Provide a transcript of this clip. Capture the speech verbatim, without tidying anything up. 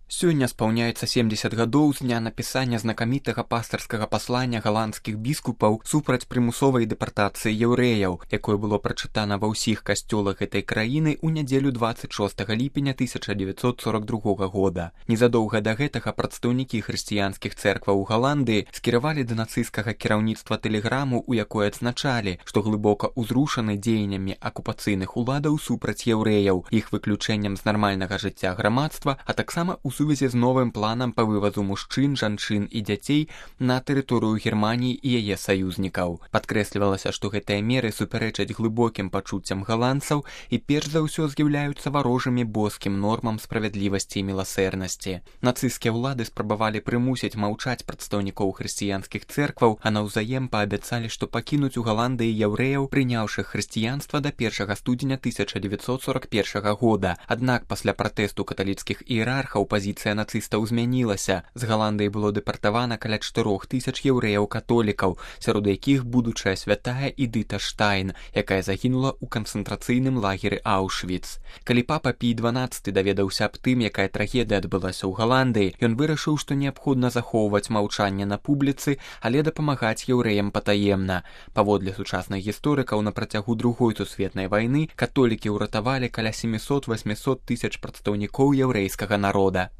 Сёння спаўняецца семдзесят гадоў з дня напісання знакамітага пастырскага паслання галандскіх біскупаў супраць прымусовай дэпартацыі яўрэяў, якое было прачытана ва ўсіх касцёлах гэтай краіны ў нядзелю дваццаць шостага ліпеня тысяча дзевяцьсот сорок другога года. Незадоўга да гэтага прадстаўнікі хрысціянскіх цэркваў у Галандыі скіравалі да нацысцкага кіраўніцтва тэлеграму, у якой адзначалі, што глыбока ўзрушаны дзеяннямі акупацыйных уладаў супраць яўрэяў, іх выключэннем з нармальнага жыцця грамадства, а таксама ў сувязі з новым планам па вывазу мужчын, жанчын і дзяцей на тэрыторыю Германіі і яе саюзнікаў. Падкрэслівалася, што гэтыя меры супярэчаць глыбокім пачуццям галандцаў і перш за ўсё з'яўляюцца варожымі боскім нормам справядлівасці і міласэрнасці. Нацысцкія ўлады спрабавалі прымусіць маўчаць прадстаўнікоў хрысціянскіх цэркваў, а наўзаем паабяцалі, што пакінуць у Галандыі яўрэяў, прыняўшых хрысціянства да першага студзеня тысяча дзевяцьсот сорок першага года. Аднак пасля пратэсту каталіцкіх іерархаў пазіцыя нацыстаў змянілася. З Галандыі было дэпартавана каля чатырох тысяч яўрэяў-католікаў, сярод якіх будучая святая Эдыта Штайн, якая загінула ў канцэнтрацыйным лагеры Аўшвіц. Калі папа Пій дванаццаты даведаўся аб тым, якая трагедыя адбылася ў Галандыі, ён вырашыў, што неабходна захоўваць маўчанне на публіцы, але дапамагаць яўрэям патаемна. Паводле сучасных гісторыкаў, на працягу другой сусветнай вайны католікі ўратавалі каля сямісот-васьмісот тысяч прадстаўнікоў яўрэйскага народа.